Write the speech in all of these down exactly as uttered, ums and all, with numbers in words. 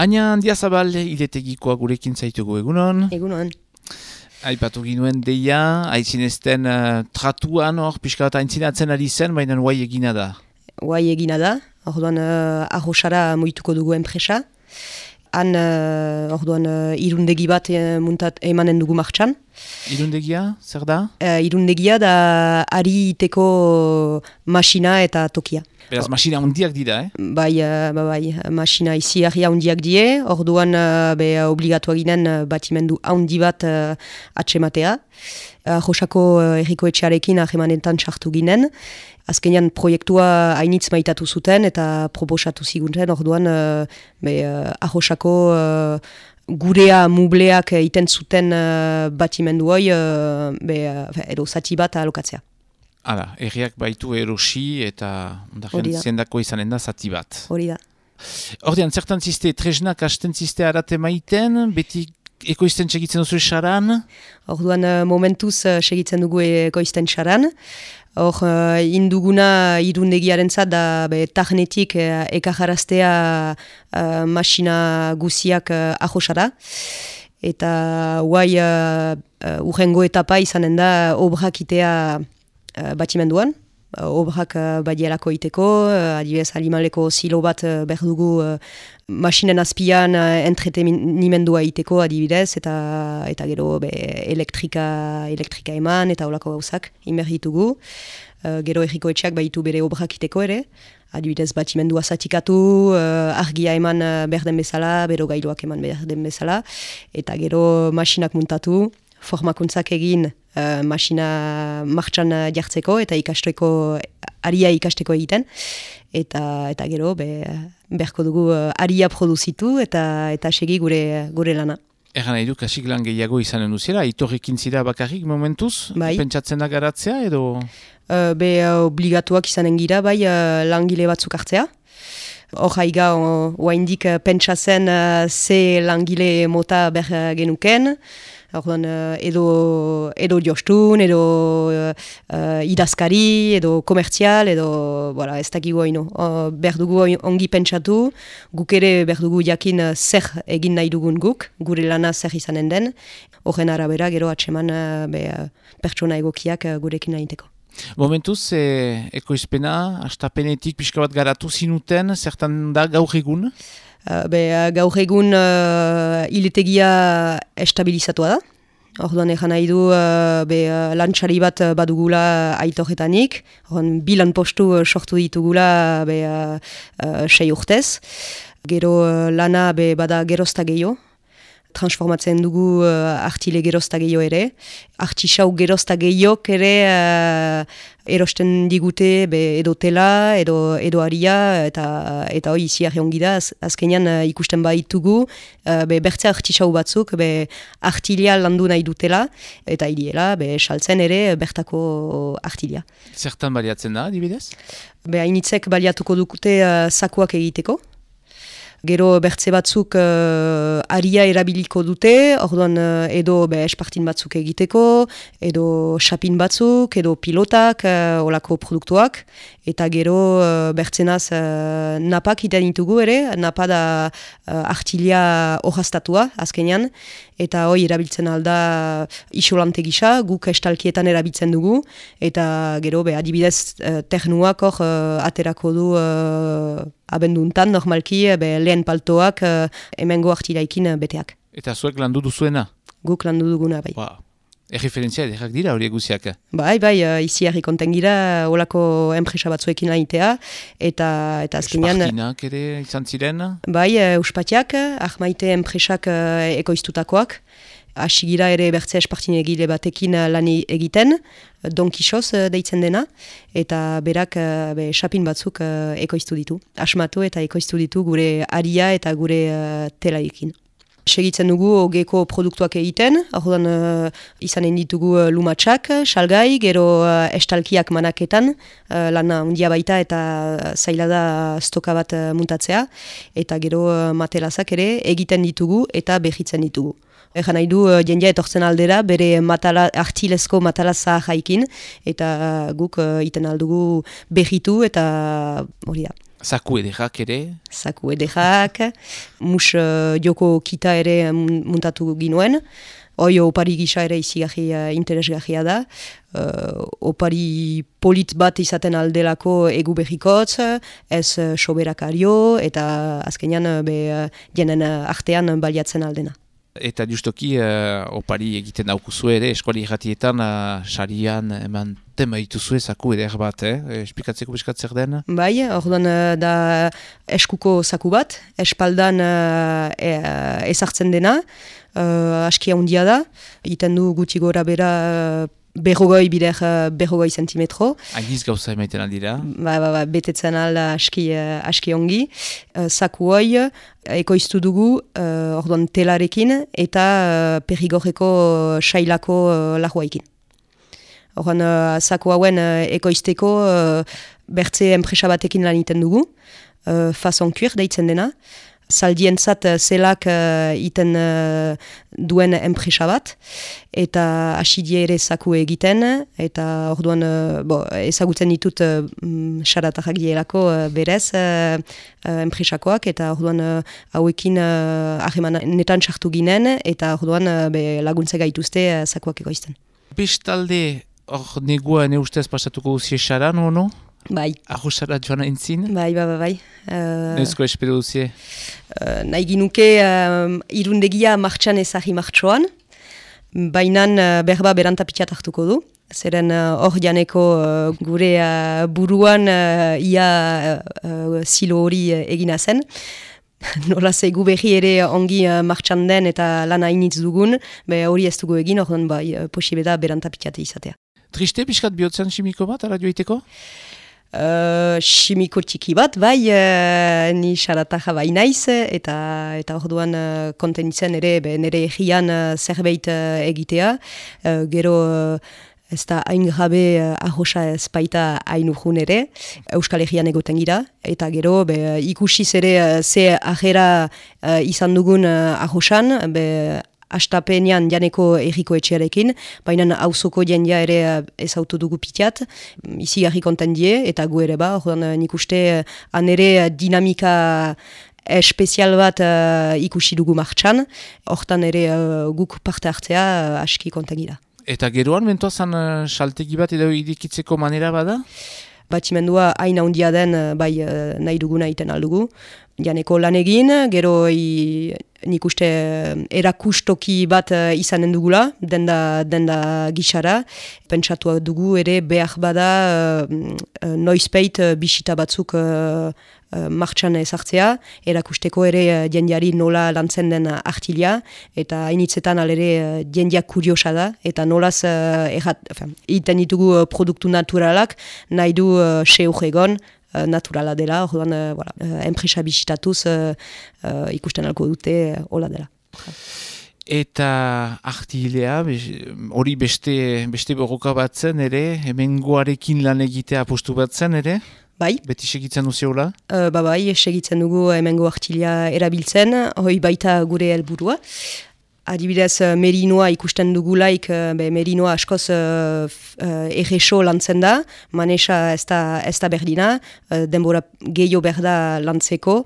Aina Handiazabal iletegikoa gurekin zaitugu egunon. Egunon. Aipatu ginuen deia, aitzinezten uh, tratuan hor, pixka bat aintzinatzen ari zen, baina guai egina da. Guai egina da, orduan uh, arrosara moituko dugu enpresa. Han, uh, orduan, uh, irundegi bat uh, muntat emanen dugu martxan. Irundegia, zer da? Uh, irundegia da ari iteko masina eta tokia. Beraz, masina handiak dira, eh? Bai, uh, ba, bai, masina izi harria handiak die, orduan uh, be obligatuak ginen uh, batimendu handi bat uh, atsematea. Uh, Josako uh, erriko etxearekin ahemanetan sartu ginen. Azkenean proiektua hainitz maitatu zuten eta proposatu zigunten, orduan uh, be, uh, Josako uh, gurea mubleak iten zuten uh, batimendu hoi uh, be, uh, edo zati bat alokatzea. Hala, erriak baitu erosi eta ondaren zendako izanen da zati bat. Hori da. Ordean, zertan ziste, tresnak hasten ziste arate maiten, beti ekoizten segitzen duzu esaran? Orduan, momentuz segitzen dugu ekoizten saran. Hor, uh, induguna irundegiaren zat da be, tarnetik uh, ekajaraztea uh, masina guziak uh, ahosara. Eta guai uh, uh, urrengo etapa izanen da obrak itea uh, batimenduan. Uh, obrak uh, badielako iteko, uh, adibidez alimaleko silo bat uh, behar dugu uh, masinen azpian uh, entretenimendua iteko adibidez, eta eta gero be, elektrika, elektrika eman eta olako gauzak inberritugu. Uh, gero erriko etxeak baitu bere obrak iteko ere, adibidez batimendua zatikatu, uh, argia eman uh, behar den bezala, bero gailuak eman behar den bezala, eta gero masinak muntatu, formakuntzak egin uh, masina martxan jartzeko eta ikasteko, aria ikasteko egiten. Eta, eta gero be, beharko dugu uh, aria produzitu eta, eta segi gure, gure lana. Egan nahi du, kasik lan gehiago izanen duziela, itorrekin zira bakarrik momentuz? Bai. Pentsatzen da garatzea edo? Uh, be uh, obligatuak izanen gira, bai uh, langile batzuk hartzea. Hor haiga oaindik uh, pentsatzen uh, ze langile mota behar genuken. Orduan, uh, edo, edo jostun, edo uh, uh, idazkari, edo komertzial, edo voilà, ez dakigu haino. Uh, behar dugu ongi pentsatu, guk ere behar dugu jakin uh, zer egin nahi dugun guk, gure lana zer izanen den. Horren arabera, gero atseman uh, be, uh, pertsona egokiak uh, gurekin nahiteko. Momentuz, e, ekoizpena, astapenetik pixka bat garatu zinuten, zertan da gaur egun? Uh, be, uh, gaur egun uh, iletegia estabilizatua da. Orduan egan nahi du uh, be, uh, lantxari bat badugula aitorretanik. Orduan bilan postu uh, sortu ditugula be, uh, uh, sei urtez. Gero uh, lana be, bada gerozta gehiago. Transformatzen dugu uh, artile gerozta gehiago ere. Artisau gerozta gehiago ere uh, erosten digute be, edo tela, edo, edo aria, eta eta hoi izi arreongi da, az, azkenean uh, ikusten baitugu, uh, be, bertze artisau batzuk, be, artilia landu nahi dutela, eta iriela, be, saltzen ere bertako artilia. Zertan baliatzen da, dibidez? Be, hainitzek baliatuko dukute uh, sakuak egiteko. Gero bertze batzuk uh, aria erabiliko dute, orduan uh, edo be, espartin batzuk egiteko, edo xapin batzuk, edo pilotak, uh, olako produktuak, eta gero uh, bertzenaz uh, napak iten ditugu ere, napa da uh, artilia orraztatua azkenean, eta hoi erabiltzen alda isolante gisa, guk estalkietan erabiltzen dugu, eta gero be, adibidez uh, ternuak hor uh, aterako du uh, abenduntan, normalki, be, lehen paltoak uh, hemengo artilaikin uh, beteak. Eta zuek landu duzuena? Guk landu duguna, bai. Ba, erreferentzia edekak dira horiek guziak? Bai, bai, uh, izi harri konten gira, olako enpresa batzuekin lainitea, eta, eta azkenean... Espartinak ere izan ziren? Bai, uh, Uspatiak, ahmaite enpresak uh, ekoiztutakoak, asigira ere bertze espartin egile batekin lan egiten, Don Quixoz deitzen dena, eta berak be, xapin batzuk uh, ekoiztu ditu. Asmatu eta ekoiztu ditu gure aria eta gure uh, telaikin. Segitzen dugu ogeko produktuak egiten, orduan uh, izanen ditugu uh, lumatxak, salgai, gero uh, estalkiak manaketan, uh, lana handia baita eta zaila da stoka bat uh, muntatzea, eta gero uh, matelazak ere egiten ditugu eta behitzen ditugu. Egan nahi du, jendea etortzen aldera, bere matala, artilezko matalaza jaikin, eta guk uh, iten aldugu behitu, eta hori da. Zaku edekak ere? Zaku edekak, mus uh, joko kita ere muntatu ginuen. Hoi opari gisa ere izigarri uh, interesgarria da. Uh, opari polit bat izaten aldelako egu behikotz, ez uh, soberakario eta azkenean uh, be uh, jenen uh, artean baliatzen aldena. Eta justoki uh, opari egiten daukuzue ere, eskuali irratietan uh, sarian eman tema dituzue zaku eder bat, eh? Esplikatzeko beskatzek den? Bai, orduan uh, da eskuko zaku bat, espaldan uh, e, uh, ezartzen dena, uh, askia handia da, egiten du gutxi gora bera uh, berrogoi bider uh, berrogoi zentimetro. Agiz gauza emaiten aldira? Ba, ba, ba, betetzen alda aski, uh, aski ongi. Uh, zaku hoi, ekoiztu dugu, uh, orduan telarekin eta uh, perigorreko sailako uh, lahuaikin. Orduan, uh, zaku hauen uh, ekoizteko uh, bertze enpresa batekin lan iten dugu, uh, fason kuir deitzen dena. Zaldientzat zelak uh, iten uh, duen enpresa bat, eta asidie ere zaku egiten, eta orduan uh, bo, ezagutzen ditut uh, xaratarrak dielako uh, berez uh, uh, enpresakoak, eta orduan uh, hauekin uh, ahreman netan sartu ginen, eta orduan uh, be, laguntze gaituzte uh, zakuak egoizten. Bestalde, hor negua ne ustez pasatuko duzie xaran, o no? Bai. Arrosara joan entzin? Bai, bai, bai, bai. Uh, Neuzko espero duzie? Uh, nahi ginuke uh, irundegia martxan ezagri martxoan, bainan uh, berba berantapitxat hartuko du. Zeren hor uh, janeko uh, gure uh, buruan uh, ia uh, uh, zilo hori uh, egina zen. Nola ze gu berri ere ongi uh, martxan den eta lan hainitz dugun, be hori ez dugu egin, hor bai, uh, posible da berantapitxate izatea. Triste pixkat bihotzen simiko bat, ara joiteko? Uh, Simiko txiki bat, bai, uh, ni xarataja bai naiz, eta eta orduan uh, kontenitzen ere, be, nire egian uh, zerbait uh, egitea, uh, gero uh, ez da hain gabe uh, ahosa ez baita hain urjun ere, Euskal Herrian egoten gira, eta gero be, ikusiz ere uh, ze ajera uh, izan dugun uh, ahosan, be, astapenean janeko erriko etxearekin, baina auzoko jendia ere ezautu dugu pitiat, izi garri konten die, eta gu ere ba, orduan nik uste han ere dinamika espezial bat uh, ikusi dugu martxan, hortan ere uh, guk parte hartzea uh, aski konten gira. Eta geroan, mentoazan uh, saltegi bat edo irikitzeko manera bada? Batimendua hain handia den bai nahi duguna iten aldugu. Janeko lan egin, gero i, nik uste erakustoki bat izanen dugula, denda, denda gixara. Pentsatu dugu ere behar bada uh, noizpeit bisita batzuk uh, uh, martxan ezartzea, erakusteko ere uh, jendiari nola lantzen den artilia, eta hainitzetan alere uh, jendiak kuriosa da, eta nolaz uh, errat, enfin, iten ditugu uh, produktu naturalak, nahi du uh, seur egon, Uh, naturala dela, orduan uh, voilà, uh, enpresa bisitatuz uh, uh, ikusten alko dute uh, hola dela. Eta artilea, hori beste, beste borroka batzen ere, hemengoarekin lan egitea apostu batzen ere? Bai. Beti segitzen duziola? Uh, ba bai, segitzen dugu hemengo artilea erabiltzen, hoi baita gure helburua. Adibidez, merinoa ikusten dugulaik, be, merinoa askoz uh, uh, erreso lantzen da, manesa ez da, ez da berdina, uh, denbora gehiago berda lantzeko,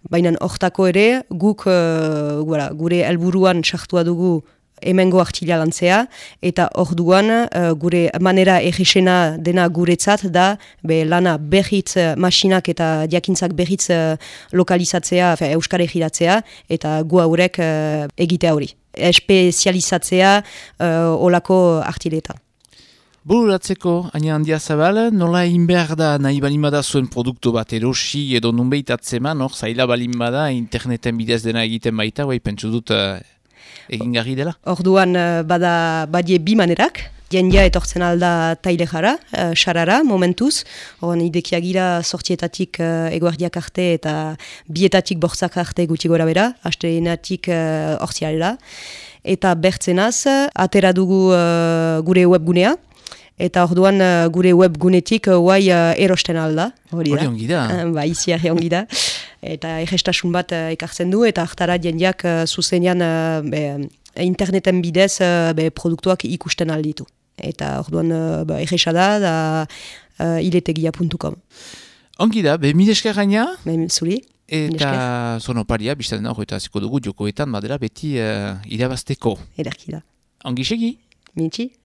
baina hortako ere, guk uh, gura, gure helburuan sartua dugu hemengo artilia lantzea, eta orduan uh, gure manera erresena dena guretzat da, be, lana berriz masinak eta diakintzak berriz uh, lokalizatzea, fe, euskara egiratzea, eta gu haurek uh, egitea hori. Espezializatzea uh, olako artiletan. Bururatzeko, aina handia zabal, nola egin behar da nahi balin bada zuen produktu bat erosi edo nunbeit atzeman, hor, zaila balin bada, interneten bidez dena egiten baita, bai, pentsu dut uh, egin garri dela? Orduan uh, bada badie bi manerak, jendia etortzen alda tailejara, uh, xarara, momentuz, horren idekiagira sortietatik uh, eguerdiak arte eta bietatik bortzak arte gutxi gora bera, hasteenatik uh, ortsialela, eta bertzenaz, atera dugu uh, gure webgunea, eta orduan uh, gure webgunetik uh, guai uh, erosten alda. Hori da. Hori ongi da. Uh, ba, izi arre ongi da. Eta egestasun bat uh, ekartzen du, eta hartara jendiak uh, zuzenean uh, be, interneten bidez uh, be, produktuak ikusten alditu. Eta orduan uh, ba, egesa da, da uh, iletegia puntu com. Ongi da, be milesker gaina? Ben, zuri. Eta zonoparia, biztan hor, eta ziko dugu jokoetan, badela beti uh, irabazteko. Ederki da. Ongi segi? Mitxi.